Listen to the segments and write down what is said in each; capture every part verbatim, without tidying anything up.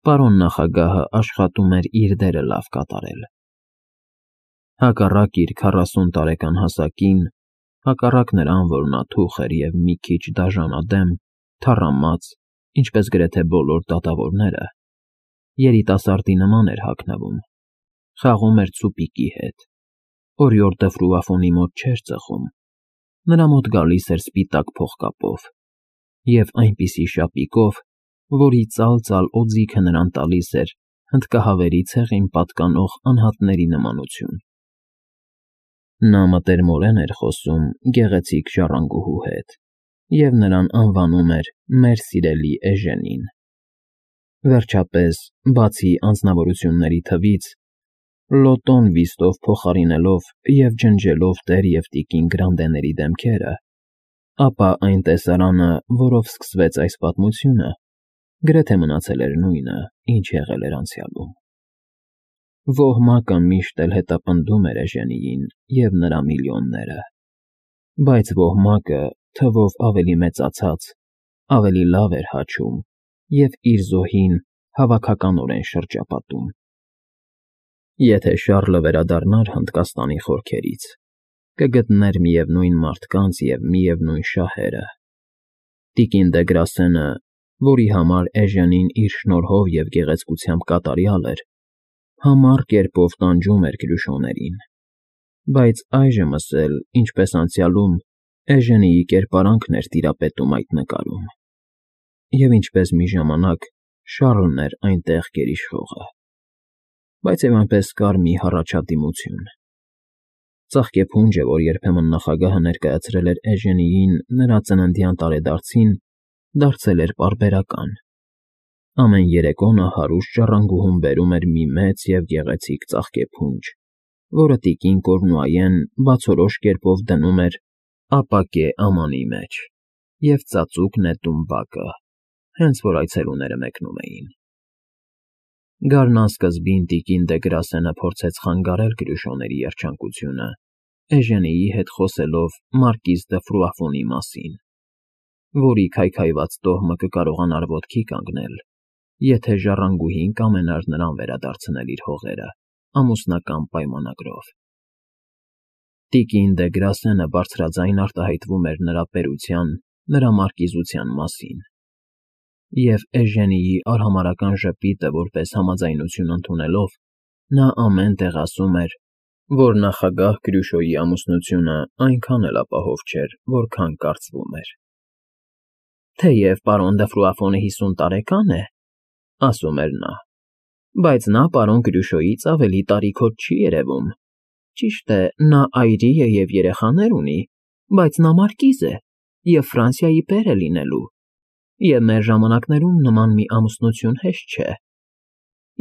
Պարոն նախագահը աշխատում էր իր դերը լավ կատարել։ Հակառակ իր քառասուն տարեկան հասակին, հակառակ նրան, որ նա թուխ էր և մի քիչ դաժանադեմ, թառամած, ինչպես գրեթե բոլոր դատավորները, երիտասարդի նման էր հագնվում, խաղում էր ցուպիկի հետ, օրիորդը ֆրուաֆոնի մոտ չէր ծխում, նրա մոտ գալիս էր սպիտակ փողկապով և այնպիսի շապիկով, որի ծալ-ծալ օձիքը նրան տալիս էր հնդկահավերի ցեղին պատկանող անհատների նմանություն։ Նա մտերմորեն էր խոսում գեղեցիկ ժառանգուհու հետ և նրան անվանում էր «մեր սիրելի Էժենին»։ Վերջապես, բացի անձնավորությունների թվից, լոտոն վիստով փոխարինելով և ջնջելով տեր և տիկին Գրանդեների դեմքերը, ապա այն տեսարանը, որով սկսվեց այս պատմությունը, գրեթե մնացել էր նույնը, ինչ եղել էր անցյալում։ Ոհմակը միշտ էլ հետապնդում էր Էժենիին և նրա միլիոնները, բայց ոհմակը, թվով ավելի մեծացած, ավելի լավ էր հաչում և իր զոհին հավաքականորեն շրջապատում։ Եթե Շառլը վերադառնար Հնդկաստանի խորքերից, կգտներ միևնույն մարդկանց և միևնույն շահերը։ Տիկին դե Գրասենը, որի համար Էժենին իր շնորհով և գեղեցկությամբ կատարյալ էր, համառ կերպով տանջում էր Կրյուշոներին, բայց այժմս էլ, ինչպես անցյալում, Էժենիի կերպարանքն էր տիրապետում այդ նկարում, և ինչպես մի ժամանակ Շառլն էր այնտեղ գերիշխողը, բայց և այնպես կար մի հառաջադիմություն։ Ծաղկեփունջը, որ երբեմն նախագահը ներկայացրել էր Էժենիին նրա ծննդյան տարեդարձին, դարձել էր պարբերական. ամեն երեկո նա հարուստ ժառանգուհուն բերում էր մի մեծ և գեղեցիկ ծաղկեփունջ, որը տիկին Կորնուայեն բացորոշ կերպով դնում էր ապակե ամանի մեջ և ծածուկ նետում բակը, հենց որ այցելուները մեկնում էին։ Գարնան սկզբին տիկին դե Գրասենը փորձեց խանգարել Կրյուշոների երջանկությունը, Էժենիի հետ խոսելով մարկիզ դը Ֆրուաֆոնի մասին, որի քայքայված տոհմը կկարողանար ոտքի կանգնել, եթե ժառանգուհին կամենար նրան վերադարձնել իր հողերը ամուսնական պայմանագրով։ Տիկին դե Գրասենը բարձրաձայն արտահայտվում էր նրա պետության, նրա մարկիզության մասին, և Էժենիի արհամարհական ժպիտը որպես համաձայնություն ընդունելով, նա ամեն տեղ ասում էր, որ նախագահ Կրյուշոյի ամուսնությունը այնքան էլ ապահով չէր, որքան կարծվում էր։ «Թեև պարոն դը Ֆրուաֆոնը հիսուն տարեկան է, — ասում էր նա, — բայց նա պարոն Կրյուշոյից ավելի տարիքոտ չի երևում։ Ճիշտ է, նա այրի է և երեխաներ ունի, բայց նա մարկիզ է և Ֆրանսիայի պեր է լինելու, և մեր ժամանակներում նման մի ամուսնություն հեշտ չէ։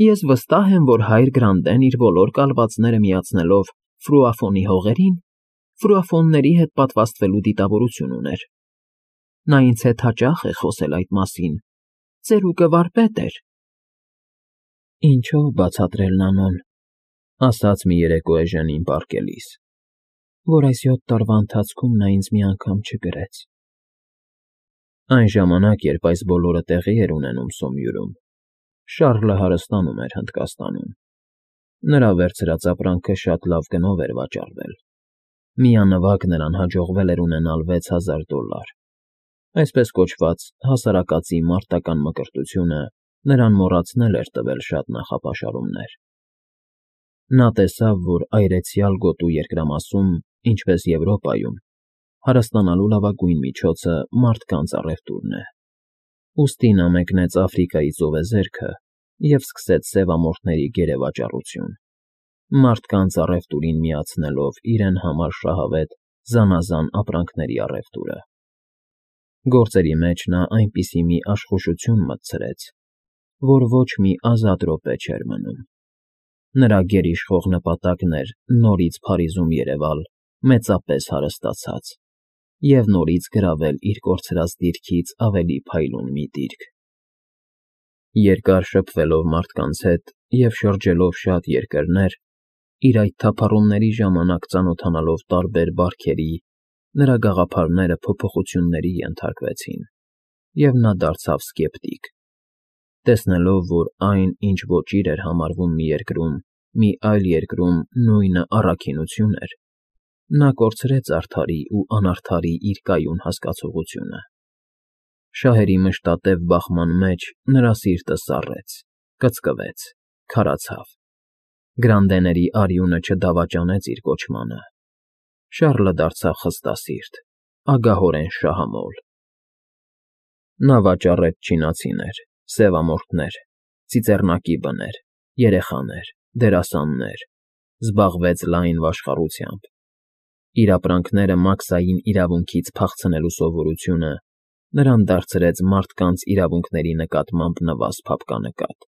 Ես վստահ եմ, որ հայր Գրանդեն իր բոլոր կալվածները միացնելով Ֆրուաֆոնի հողերին, ֆրուաֆոնների հետ պատվաստվելու դիտավորություն ուներ։ Նա ինձ հետ հաճախ է խոսել այդ մասին, ծերուկը վարպետ էր»։ «Ինչո՞վ բացատրել Նանոն,— ասաց մի երեկո Էժենին պառկելիս,— որ այս յոթ տարվա ընթացքում նա ինձ մի անգամ չգրեց»։ Այն ժամանակ, երբ այս բոլորը տեղի էր ունենում Սոմյուրում, Շառլը հարստանում էր Հնդկաստանում։ Նրա վերցրած ապրանքը շատ լավ գնով էր վաճառվել։ Միանվագ նրան հաջողվել էր ունենալ վեց հազար դոլար։ Այսպես կոչված հասարակածի մարտական մկրտությունը նրան մոռացնել էր տվել շատ նախապաշարումներ։ Նա տեսավ, որ այրեցյալ գոտու երկրամասում, ինչպես Եվրոպայում, հարստանալու լավագույն միջոցը մարդկանց առևտուրն է։ Ուստի նա մեկնեց Աֆրիկայի ծովեզերքը և սկսեց սևամորթների գերեվաճառություն, մարդկանց առևտուրին միացնելով իրեն համար շահավետ զանազան ապրանքների առևտուրը։ Գործերի մեջ նա այնպիսի մի աշխուժություն մտցրեց, որ ոչ մի ազատ րոպե չէր մնում։ Նրա գերիշխող նպատակն էր նորից Փարիզում երևալ մեծապես հարստացած և նորից գրավել իր կորցրած դիրքից ավելի փայլուն մի դիրք։ Երկար շփվելով մարդկանց հետ և շրջելով շատ երկրներ, իր այդ թափառումների ժամանակ ծանոթանալով տարբեր բարքերի, նրա գաղափարները փոփոխությունների ենթարկվեցին, և նա դարձավ սկեպտիկ։ Տեսնելով, որ այն, ինչ ոճիր էր համարվում մի երկրում, մի այլ երկրում նույնը առաքինություն էր, նա կորցրեց արդարի ու անարդարի իր կայուն հասկացողությունը։ Շահերի մշտատև բախման մեջ նրա սիրտը սառեց, կծկվեց, քարացավ։ Գրանդեների արյունը չդավաճանեց իր կոչմանը։ Շառլը դարձավ խստասիրտ, ագահորեն շահամոլ։ Նա վաճառեց չինացիներ, սևամորթներ, ծիծեռնակի բներ, երեխաներ, դերասաններ, զբաղվեց լայն վաշխառությամբ։ Իր ապրանքները մաքսային իրավունքից փախցնելու սովորությունը նրան դարձրեց մարդկանց իրավունքների նկատմամբ նվազ փափկանկատ։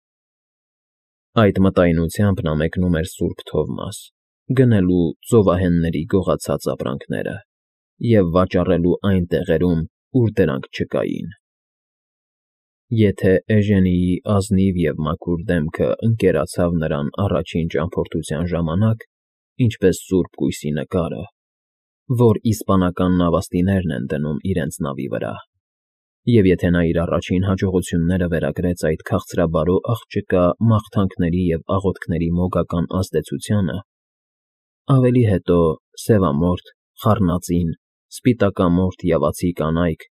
Այդ մտայնությամբ նա մեկնում էր Սուրբ Թովմաս, գնելու ծովահենների գողացած ապրանքները և վաճառելու այն տեղերում, ուր դրանք չկային։ Եթե Էժենիի ազնիվ և մաքուր դեմքը ընկերացավ նրան առաջին ճամփորդության ժամանակ, ինչպես սուրբ կույսի նկարը, որ իսպանական նավաստիներն են դնում իրենց նավի վրա, և եթե նա իր առաջին հաջողությունները վերագրեց այդ քաղցրաբարո աղջկա մաղթանքների և աղոթքների մոգական ազդեցությանը, ավելի հետո սևամորթ, խառնածին, սպիտակամորթ յավացի կանայք,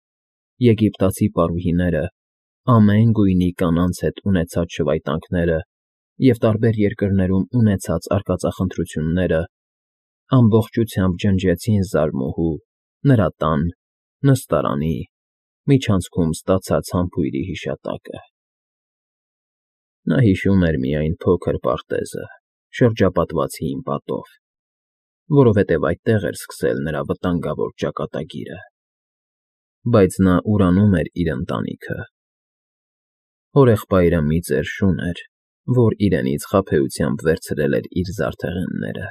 եգիպտացի պարուհիները, ամեն գույնի կանանց հետ ունեցած շվայտանքները և տարբեր երկրներում ունեցած արկածախնդրությունները ամբողջությամբ ջնջեցին զարմուհու, նրա տան, նստարանի, միջանցքում ստացած համբույրի հիշատակը։ Նա հիշում էր միայն փոքր պարտեզը, շրջապատված հին պատով, որովհետև այդտեղ էր սկսել նրա վտանգավոր ճակատագիրը։ Բայց նա ուրանում էր իր ընտանիքը։ Հորեղբայրը մի ծեր շուն էր, որ իրենից խաբեությամբ վերցրել էր իր զարդեղենները։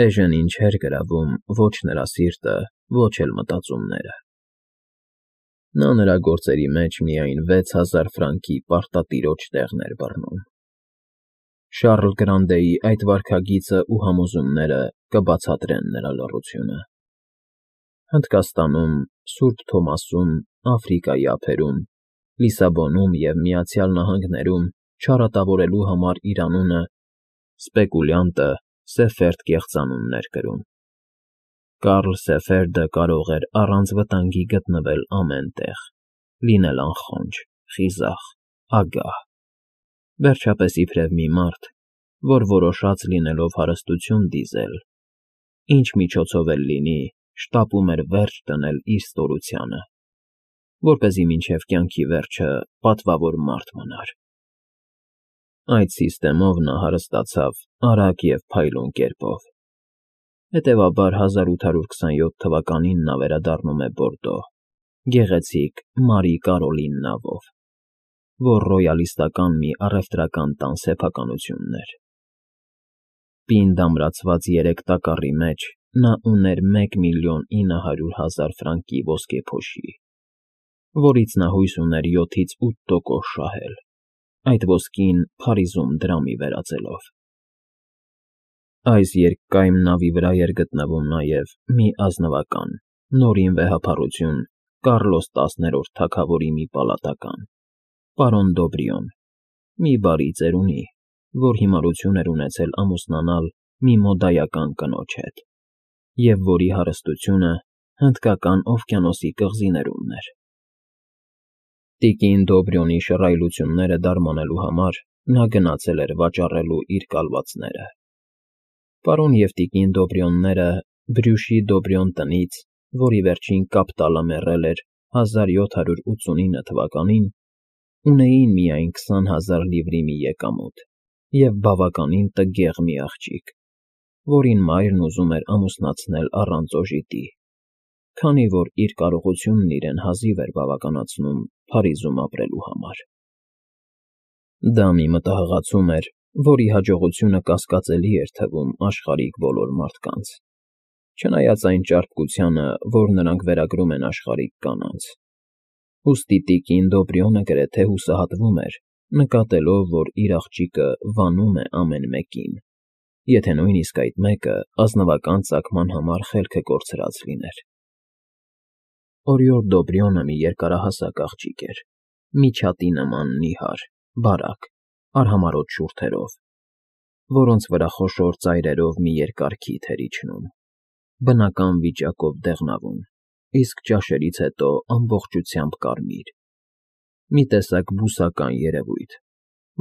Էժենին չէր գրավում ոչ նրա սիրտը, ոչ էլ մտածումները։ Նա նրա գործերի մեջ միայն վեց հազար ֆրանկի պարտատիրոջ տեղն էր բռնում։ Շառլ Գրանդեի այդ վարքագիծը ու համոզումները կբացատրեն նրա լռությունը։ Հնդկաստանում, Սուրբ Թոմասում, Աֆրիկայի ափերում, Լիսաբոնում և Միացյալ Նահանգներում չարատավորելու համար իր անունը սպեկուլյանտը Սեֆերդ կեղծանունն էր կրում։ Կարլ Սեֆերդը կարող էր առանց վտանգի գտնվել ամեն տեղ, լինել անխոնջ, խիզախ, ագահ, վերջապես իբրև մի մարդ, որ որոշած լինելով հարստություն դիզել, ինչ միջոցով էլ լինի, շտապում էր վերջ դնել իր ստորությանը, որպեսզի մինչև կյանքի վերջը պատվավոր մարդ մնար։ Այդ սիստեմով նա հարստացավ արագ և փայլուն կերպով։ Հետևաբար հազար ութ հարյուր քսանյոթ թվականին նա վերադառնում է Բորդո, գեղեցիկ Մարի Կարոլին նավով, որ ռոյալիստական մի առևտրական տան սեփականությունն էր։ Պինդ ամրացված երեք տակառի մեջ նա ուներ մեկ միլիոն ինը հարյուր հազար ֆրանկի ոսկեփոշի, որից նա հույս ուներ յոթից ութ տոկոս շահել, այդ ոսկին Փարիզում դրամի վերածելով։ Այս երկկայմ նավի վրա էր գտնվում նաև մի ազնվական, նորին վեհափառություն Կարլոս տասներորդ թագավորի մի պալատական, պարոն Դոբրիոն, մի բարի ծերունի, որ հիմարություն էր ունեցել ամուսնանալ մի մոդայական կնոջ հետ, և որի հարստությունը Հնդկական օվկիանոսի կղզիներումն էր։ Տիկին Դոբրիոնի շռայլությունները դարմանելու համար նա գնացել էր վաճառելու իր կալվածները։ Պարոն և տիկին Դոբրիոնները Բրյուշի Դոբրիոն տնից, որի վերջին կապիտալը մեռել էր հազար յոթ հարյուր ութսունինը թվականին, ունեին միայն քսան հազար լիվրի մի եկամուտ և բավականին տգեղ մի աղջիկ, որին մայրն ուզում էր ամուսնացնել առանց օժիտի, քանի որ իր կարողությունն իրեն հազիվ էր բավականացնում Փարիզում ապրելու համար։ Դա մի մտահղացում էր, որի հաջողությունը կասկածելի էր թվում աշխարհիկ բոլոր մարդկանց, չնայած այն ճարպկությանը, որ նրանք վերագրում են աշխարհիկ կանանց։ Ուստի տիկին Դոբրիոնը գրեթե հուսահատվում էր, նկատելով, որ իր աղջիկը վանում է ամեն մեկին, եթե նույնիսկ այդ մեկը ազնվական ծագման համար խելքը կորցրած լիներ։ Օրիորդ Դոբրիոնը մի երկարահասակ աղջիկ էր, Միջատի նման նիհար, բարակ, արհամարհոտ շուրթերով, որոնց վրա խոշոր ծայրերով մի երկար քիթ էր իջնում, բնական վիճակով դեղնավուն, իսկ ճաշերից հետո ամբողջությամբ կարմիր, մի տեսակ բուսական երևույթ,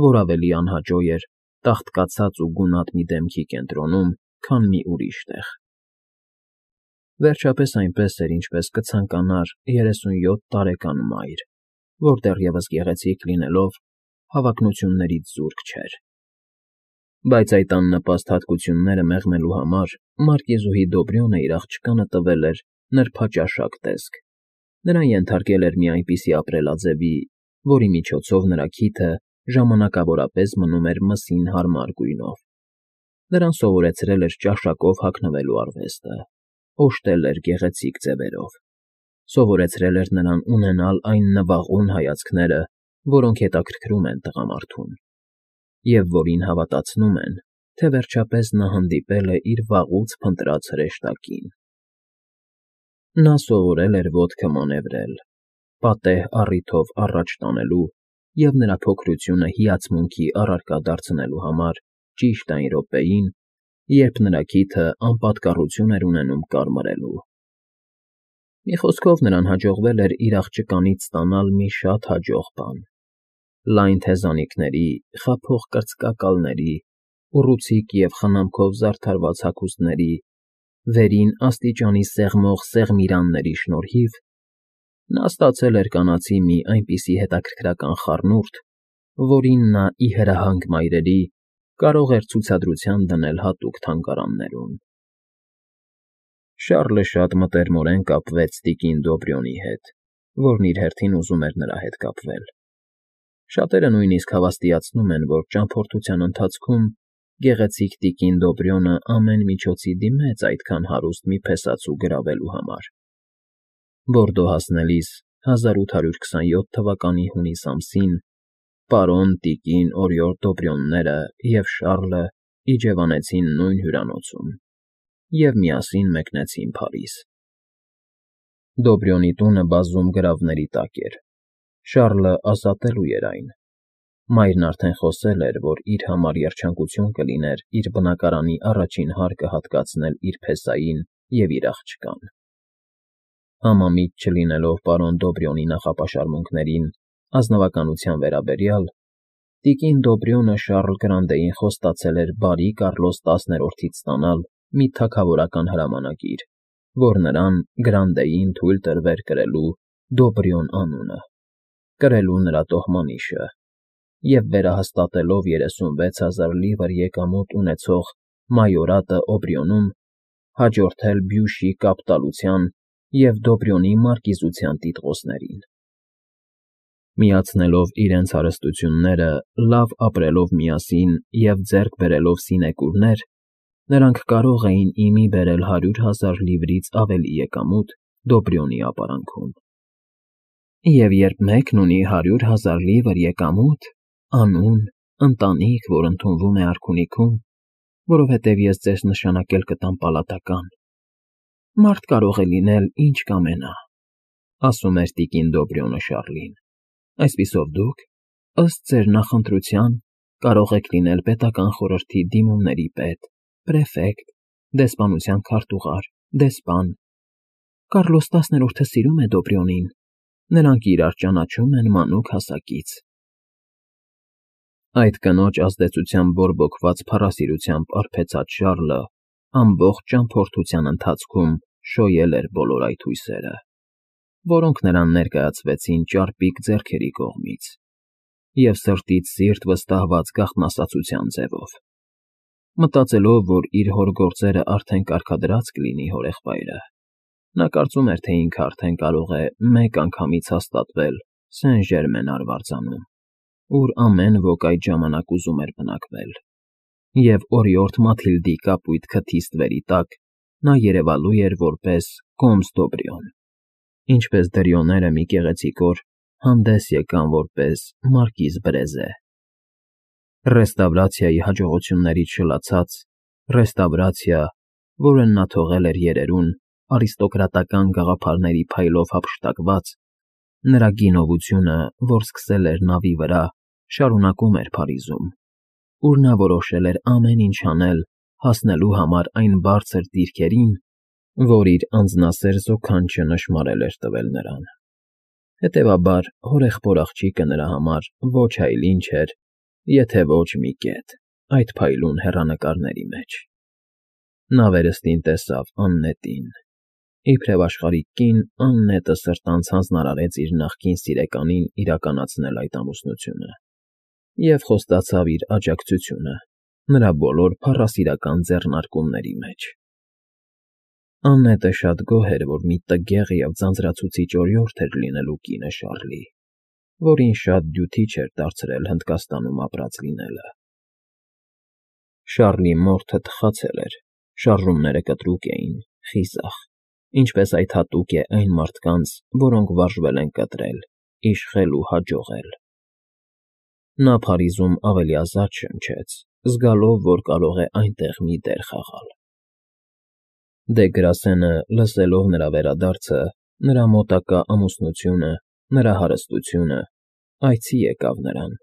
որ ավելի անհաճո էր տաղտկացած ու գունատ մի դեմքի կենտրոնում, քան մի ուրիշ տեղ։ Վերջապես այնպես էր, ինչպես կցանկանար երեսունյոթ տարեկան մայր, որ դեռևս գեղեցիկ լինելով, հավակնություններից զուրկ չէր։ Բայց այդ աննպաստ հատկությունները մեղմելու համար մարկեզուհի Դոբրյոնը իր աղջկանը տվել էր նրբաճաշակ տեսք, նրան ենթարկել էր մի այնպիսի ապրելաձևի, որի միջոցով նրա քիթը ժամանակավորապես մնում էր մսին հարմար գույնով, նրան սովորեցրել էր ճաշակով հագնվելու արվեստը, օժտել էր գեղեցիկ ձևերով, սովորեցրել էր նրան ունենալ այն նվաղուն հայացքները, որոնք հետաքրքրում են տղամարդուն, և որին հավատացնում են, թե վերջապես նա հանդիպել է իր վաղուց փնտրած հրեշտակին։ Նա սովորել էր ոտքը մանևրել, պատեհ առիթով առաջ տանելու և նրա փոքրությունը հիացմունքի առարկա դարձնելու համար ճիշտ այն րոպեին, երբ նրա քիթը անպատկառություն էր ունենում կարմրելու։ Մի խոսքով նրան հաջողվել էր իր աղջկանից ստանալ մի շատ հաջող բան. լայն թեզանիքների, խաբող կրծկակալների, ուռուցիկ և խնամքով զարդարված հագուստների, վերին աստիճանի սեղմող սեղմիրանների շնորհիվ նա ստացել էր կանացի մի այնպիսի հետաքրքրական խառնուրդ, որին նա ի հրահանգ մայրերի կարող էր ցուցադրության դնել հատուկ թանգարաններում։ Շառլը շատ մտերմորեն կապվեց տիկին Դոբրյոնի հետ, որն իր հերթին ուզում էր նրա հետ կապվել։ Շատերը նույնիսկ հավաստիացնում են, որ ճամփորդության ընթացքում գեղեցիկ տիկին Դոբրյոնը ամեն միջոցի դիմեց այդքան հարուստ մի փեսացու գրավելու համար։ Բորդո հասնելիս հազար ութ հարյուր քսանյոթ թվականի հունիս ամսին պարոն տիկին Օրիորդ Դոբրյոնները և Շառլը իջևանեցին նույն հյուրանոցում և միասին մեկնեցին Փարիզ։ Դոբրյոնի տունը բազում գրավների տակ էր, Շառլը ազատելու էր այն, մայրն արդեն խոսել էր, որ իր համար երջանկություն կլիներ իր բնակարանի առաջին հարկը հատկացնել իր փեսային և իր աղջկան։ Համամիտ չլինելով պարոն Դոբրյոնի նախապաշարմունքներին ազնվականության վերաբերյալ, տիկին Դոբրյոնը Շառլ Գրանտեին խոստացել էր բարի Կառլոս տասներորդից ստանալ մի թագավորական հրամանագիր, որ նրան Գրանտեին թույլ տրվեր կրելու Դոբրյոն անունը, կրելու նրա տոհմանիշը և վերահաստատելով երեսունվեց հազար լիվր եկամուտ ունեցող մայորատը Օբրյոնում, հաջորդել Բյուշի կապիտալության և Դոբրյոնի մարկիզության տիտղոսներին։ Միացնելով իրենց հարստությունները, լավ ապրելով միասին և ձեռք բերելով սինեկուրներ, նրանք կարող էին ի մի բերել հարյուր հազար լիվրից ավելի եկամուտ Դոբրյոնի ապարանքում։ Եվ երբ մեկն ունի հարյուր հազար լիվր եկամուտ, անուն, ընտանիք, որ ընդունվում է արքունիքում, որովհետև ես ձեզ նշանակել կտամ պալատական, մարդ կարող է լինել ինչ կամենա, ասում էր տիկին Դոբրյոնը Շառլին, այսպիսով դուք, ըստ ձեր նախընտրության, կարող եք լինել պետական խորհրդի դիմումների պետ, պրեֆեկտ, դեսպանության քարտուղար, դեսպան։ Կառլոս տասներորդը սիրում է Դոբրյոնին, նրանք իրար ճանաչում են մանուկ հասակից։ Այդ կնոջ ազդեցությամբ բորբոքված փառասիրությամբ արբեցած Շառլը ամբողջ ճամփորդության ընթացքում շոյել էր բոլոր այդ հույսերը, որոնք նրան ներկայացվեցին ճարպիկ ձեռքերի կողմից և սրտից սիրտ վստահված գաղտնասացության ձևով։ Մտածելով, որ իր հոր գործերը արդեն կարգադրած կլինի հորեղբայրը, նա կարծում էր, թե ինքը արդեն կարող է մեկ անգամից հաստատվել Սեն֊Ժերմեն արվարձանում, ուր ամեն ոք այդ ժամանակ ուզում էր բնակվել, և օրիորդ Մաթիլդի կապույտ քթի ստվերի տակ նա երևալու էր որպես կոմս Դոբրյոն, ինչպես դրիոները մի գեղեցիկ օր հանդես եկան որպես մարկիզ Բրեզե։ Ռեստավրացիայի հաջողություններից շլացած, ռեստավրացիա, որը նա թողել էր երերուն, արիստոկրատական գաղափարների փայլով հափշտակված, Նրա գինովությունը, որ սկսել էր նավի վրա, շարունակում էր Փարիզում, ուր նա որոշել էր ամեն ինչ անել հասնելու համար այն բարձր դիրքերին, որ իր անձնասեր զոքանչը նշմարել էր տվել նրան։ Հետևաբար, հորեղբոր աղջիկը նրա համար ոչ այլ ինչ էր, եթե ոչ մի կետ այդ փայլուն հեռանկարների մեջ։ Նա վերստին տեսավ Աննետին։ Իբրև աշխարհիկ կին, Աննետը սրտանց հանձնարարեց իր նախկին սիրեկանին իրականացնել այդ ամուսնությունը և խոստացավ իր աջակցությունը նրա բոլոր փառասիրական ձեռնարկումների մեջ։ Աննետը շատ գոհ էր, որ մի տգեղ և ձանձրացուցիչ օրիորդ էր լինելու կինը Շառլի, որին շատ դյութիչ էր դարձրել Հնդկաստանում ապրած լինելը։ Շառլի մորթը թխացել էր, շարժումները կտրուկ էին, խիզախ, ինչպես այդ հատուկ է այն մարդկանց, որոնք վարժվել են կտրել, իշխել ու հաջողել։ Նա Փարիզում ավելի ազատ շնչեց, զգալով, որ կարող է այնտեղ մի դեր խաղալ։ Դե Գրասենը, լսելով նրա վերադարձը, նրա մոտակա ամուսնությունը, նրա հարստությունը, այցի եկավ նրան,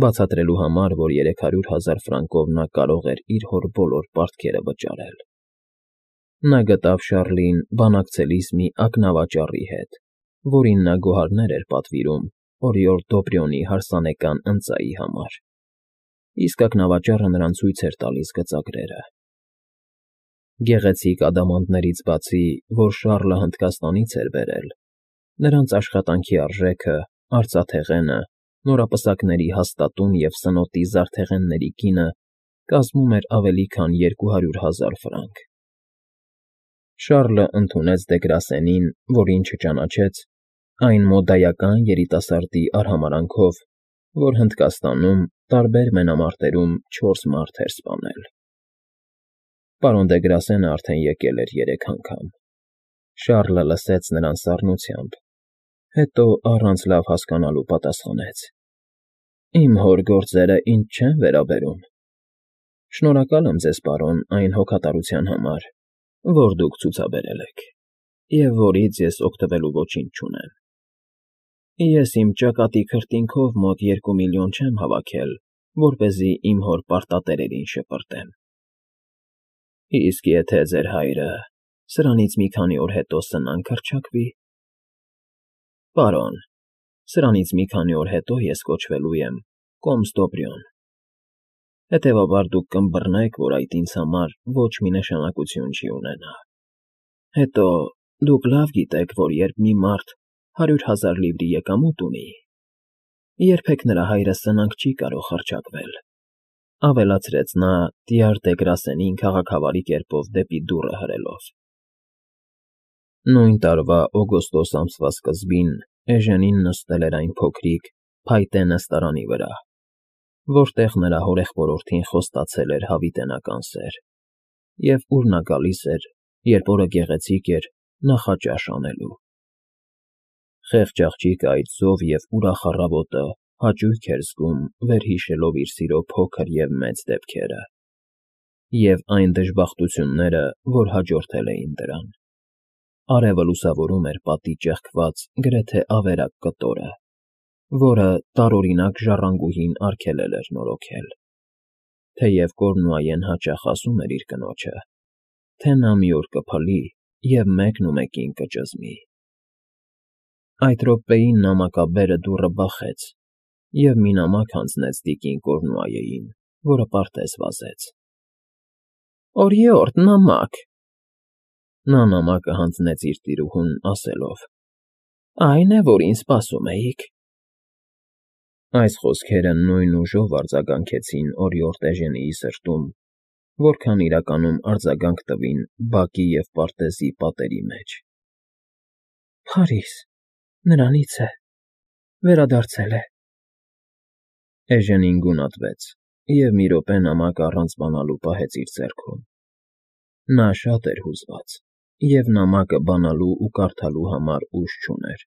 բացատրելու համար, որ երեք հարյուր հազար ֆրանկով նա կարող էր իր հոր բոլոր պարտքերը վճարել։ Նա գտավ Շառլին բանակցելիս մի ակնավաճառի հետ, որին նա գոհարներ էր պատվիրում օրիորդ Դոբրյոնի հարսանեկան ընծայի համար, իսկ ակնավաճառը նրան ցույց էր տալիս գծագրերը։ Գեղեցիկ ադամանդներից բացի, որ Շառլը Հնդկաստանից էր բերել, նրանց աշխատանքի արժեքը, արծաթեղենը, նորապսակների հաստատուն և սնոտի զարդեղենների գինը կազմում էր ավելի քան երկու հարյուր հազար ֆրանկ։ Շառլը ընդունեց Դե Գրասենին, որին չճանաչեց, այն մոդայական երիտասարդի արհամարհանքով, որ Հնդկաստանում տարբեր մենամարտերում չորս մարդ էր սպանել։ Պարոն Դե Գրասենը արդեն եկել էր երեք անգամ։ Շառլը լսեց նրան սառնությամբ, հետո առանց լավ հասկանալու պատասխանեց. Իմ հոր գործերը ինձ չեն վերաբերում։ Շնորհակալ եմ ձեզ, պարոն, այն հոգատարության համար, որ դուք ցուցաբերել եք, և որից ես օգտվելու ոչինչ չունեմ։ Ես իմ ճակատի քրտինքով մոտ երկու միլիոն չեմ հավաքել, որպեսզի իմ հոր պարտատերերին շպրտեմ։ Իսկ եթե ձեր հայրը սրանից մի քանի օր հետո սնանկ հռչակվի… Պարոն, սրանից մի քանի օր հետո ես կոչվելու եմ կոմս Դոբրյոն, հետևաբար դուք կըմբռնեք, որ այդ ինձ համար ոչ մի նշանակություն չի ունենա։ Հետո, դուք լավ գիտեք, որ երբ մի մարդ հարյուր հազար լիվրի եկամուտ ունի, երբեք նրա հայրը սնանկ չի կարող հռչակվել, ավելացրեց նա տյար Դե Գրասենին քաղաքավարի կերպով դեպի դուռը հրելով։ Նույն տարվա օգոստոս ամսվա սկզբին Էժենին նստել էր այն փոքրիկ, փայտե նստարանի վրա, որտեղ նրա հորեղբորորդին խոստացել էր հավիտենական սեր, և ուր նա գալիս էր, երբ օրը գեղեցիկ էր, նախաճաշ անելու։ Խեղճ աղջիկը այդ զով և ուրախ առավոտը հաճույք էր զգում, վերհիշելով իր սիրո փոքր և մեծ դեպքերը և այն դժբախտությունները, որ հաջորդել էին դրան։ Արևը լուսավորում էր պատի ճեղքված, գրեթե ավերակ կտորը, որը տարօրինակ ժառանգուհին արգելել էր նորոգել, թեև Կորնուայեն հաճախ ասում էր իր կնոջը, թե նա մի օր կփլի և մեկնումեկին կճզմի։ Այդ րոպեին նամակաբերը դուռը բախեց, և մի նամակ հանձնեց տիկին Կորնուայեին, որը պարտեզ վազեց։ ֊ Օրիորդ, նամակ… Նա նամակը հանձնեց իր տիրուհուն, ասելով. Այն է, որին սպասում էիք։ Այս խոսքերը նույն ուժով արձագանքեցին օրիորդ Էժենիի սրտում, որքան իրականում արձագանք տվին բակի և պարտեզի պատերի մեջ։ Փարիզ… նրանից է… վերադարձել է… Էժենին գունատվեց և մի րոպե նամակը առանց բանալու պահեց իր ձեռքում։ Նա շատ էր հուզված և նամակը բանալու ու կարդալու համար ուժ չուներ։